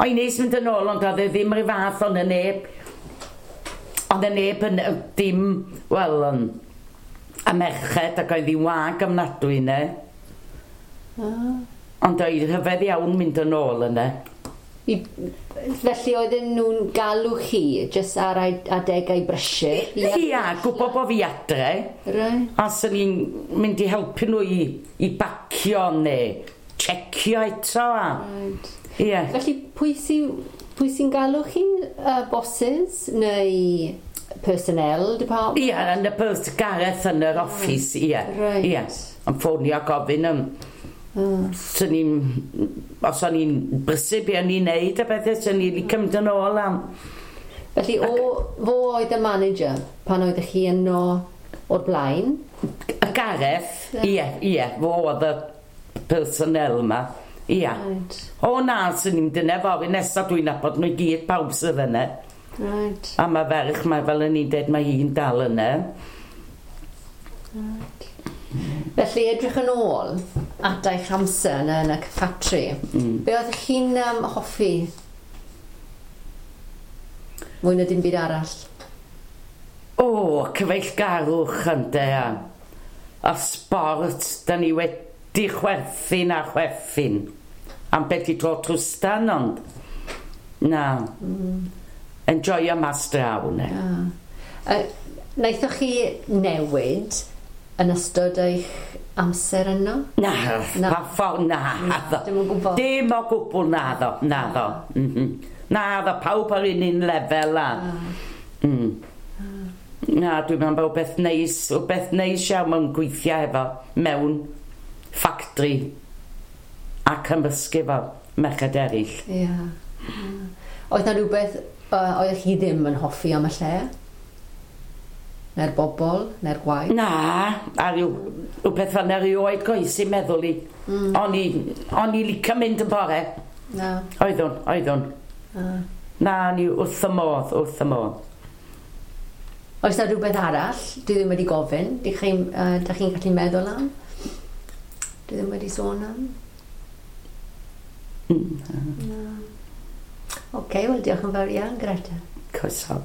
Oedd neis mynd yn ôl, ond oedd e ddim rhyw fath ond y neb. Oedd y neb yn dim, wel, a merched ac oedd hi'n wag ofnadwy yna. Ond oedd rhyfedd iawn mynd yn ôl yna. Felly oedden nhw'n galw chi jyst ar adegau brysur? Ia, gwybod bod fi adre. A swn i'n mynd i helpu nhw i bacio neu checio eto. A. Ie. Felly pwy sy'n galw chi? Bosses neu personnel department? Ie, yn y pers Gareth yn yr office, ie. Ie. Yn ffonio a gofyn am. Swn i'n. Os o'n i'n brysur be o'n i'n neud a bethau, swn i'n licio mynd yn ôl am. Felly fo oedd y manager pan oeddech chi yno o'r blaen? Y Gareth, ie, fo oedd y personnel yma. Ie. O na, swn i'n dyna fory nesaf dwi'n nabod nhw i gyd pawb sydd yna. A mae ferch, mae fel yn i'n dweud, mae hi'n dal yna. Felly edrych yn ôl at eich amser yn y ffatri, be oeddech chi'n hoffi mwy na dim byd arall? O, cyfeillgarwch ynde a sport, da ni wedi chwerthin a chwerthin. Am beth i dro trwstan, ond na. Enjoyo mas draw, ne. Naethoch chi newid yn ystod eich amser yno? Na, Na. pa ffordd na. Na, dim o gwbl. Dim o gwbl na ddo, na ddo. Na ddo, pawb ar un un lefel a. Na, dwi'n meddwl bod beth neis iawn mewn gweithio efo mewn ffactri a cymysgu efo merched eraill. Ie. Oedd na rhywbeth oeddech chi ddim yn hoffi am y lle? Neu'r bobl, neu'r gwaith? Na, a rhyw beth fel na rioed goesi meddwl i. O'n i licio mynd yn bore. Na. Oeddwn, oeddwn. Na, ni wrth y modd, wrth y modd. Oes na rhywbeth arall dwi ddim wedi gofyn? Dych chi'n dach chi'n gallu meddwl am? Dwi ddim wedi sôn am? Oce, wel diolch yn fawr iawn, Greta. Croeso.